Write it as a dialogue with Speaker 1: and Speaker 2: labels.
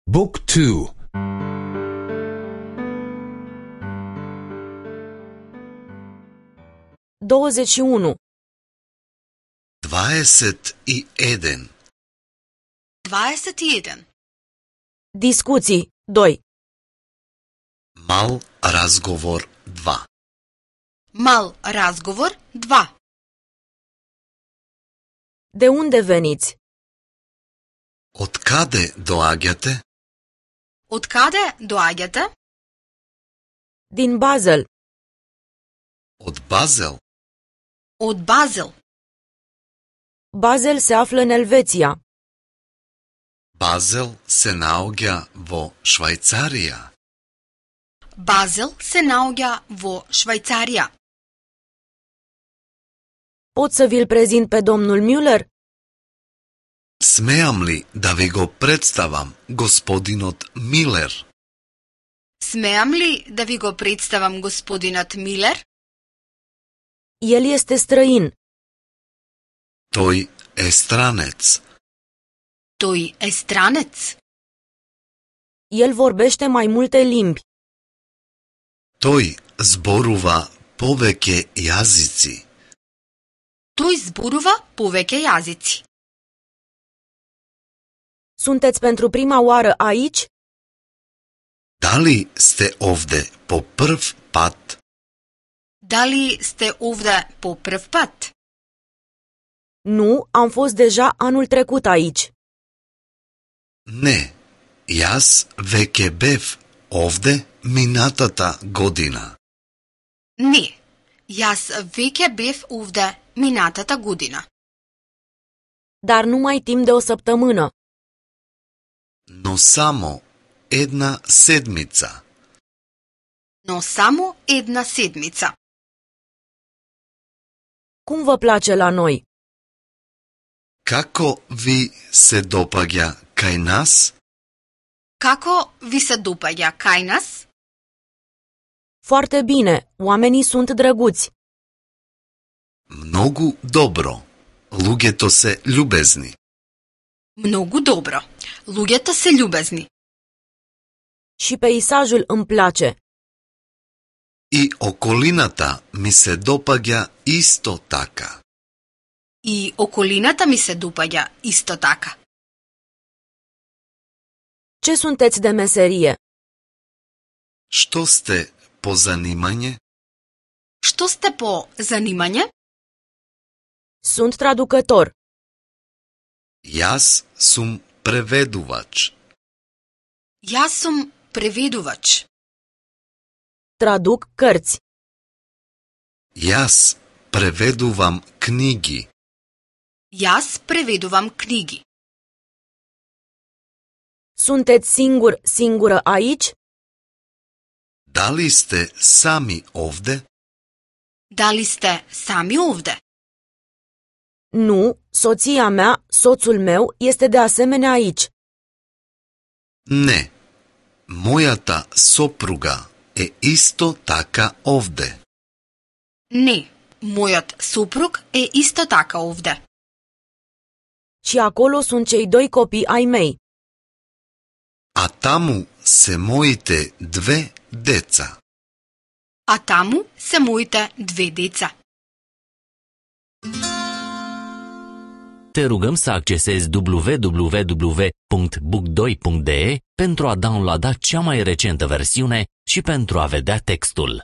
Speaker 1: Book 2.
Speaker 2: 21.
Speaker 3: 21.
Speaker 4: 21.
Speaker 2: Discuții 2.
Speaker 3: Мал разговор 2.
Speaker 4: Мал разговор 2.
Speaker 2: De unde veniți?
Speaker 3: Од каде доаѓате?
Speaker 4: Од каде доаѓате?
Speaker 2: Din Basel.
Speaker 3: Од Базел.
Speaker 4: Од Базел.
Speaker 2: Basel se află în Elveția.
Speaker 3: Базел се наоѓа во Швајцарија.
Speaker 4: Базел се наоѓа во Швајцарија.
Speaker 2: Pot să vi-l prezint pe domnul Müller?
Speaker 3: Смеам ли да ви го представам господинот Милер?
Speaker 4: Смеам ли да ви го представам господинот Милер?
Speaker 2: El este străin.
Speaker 3: Тој е странец.
Speaker 4: Тој е странец.
Speaker 2: El vorbește mai multe limbi.
Speaker 3: Тој зборува повеќе јазици.
Speaker 4: Тој зборува повеќе јазици.
Speaker 2: Sunteți pentru prima oară aici?
Speaker 3: Дали сте овде по прв пат?
Speaker 4: Дали сте овде по прв пат?
Speaker 2: Nu, am fost deja anul trecut aici.
Speaker 3: Не, јас веќе бев овде минатата година.
Speaker 4: Не, јас веќе бев овде минатата година.
Speaker 2: Dar numai timp de o săptămână.
Speaker 3: Но само една седмица.
Speaker 4: Но само една седмица.
Speaker 2: Cum vă place la noi?
Speaker 3: Како ви се допаѓа кај нас?
Speaker 4: Како ви се допаѓа кај нас?
Speaker 2: Foarte bine, oamenii sunt drăguți.
Speaker 3: Многу добро. Луѓето се љубезни.
Speaker 4: Многу добро. Луѓето се љубезни.
Speaker 2: Și peisajul îmi place.
Speaker 3: И околината ми се допаѓа исто така.
Speaker 4: И околината ми се допаѓа исто така.
Speaker 2: Ce sunteți de meserie?
Speaker 3: Што сте по занимање?
Speaker 4: Што сте по занимање?
Speaker 2: Sunt traducător.
Speaker 3: Јас сум преведувач.
Speaker 4: Јас сум преведувач.
Speaker 2: Traduc cărți.
Speaker 3: Јас преведувам книги.
Speaker 4: Јас преведувам книги.
Speaker 2: Sunteți singură aici?
Speaker 3: Дали сте сами овде?
Speaker 4: Дали сте сами овде?
Speaker 2: Nu, soția mea, soțul meu, este de asemenea aici.
Speaker 3: Не. Мојата сопруга е исто така овде.
Speaker 4: Не, мојот сопруг е исто така овде.
Speaker 2: Și acolo sunt cei 2 copii ai mei.
Speaker 3: А таму се моите 2 деца.
Speaker 4: А таму се моите 2 деца.
Speaker 5: Te rugăm să accesezi www.book2.de pentru a downloada cea mai recentă versiune și pentru a vedea textul.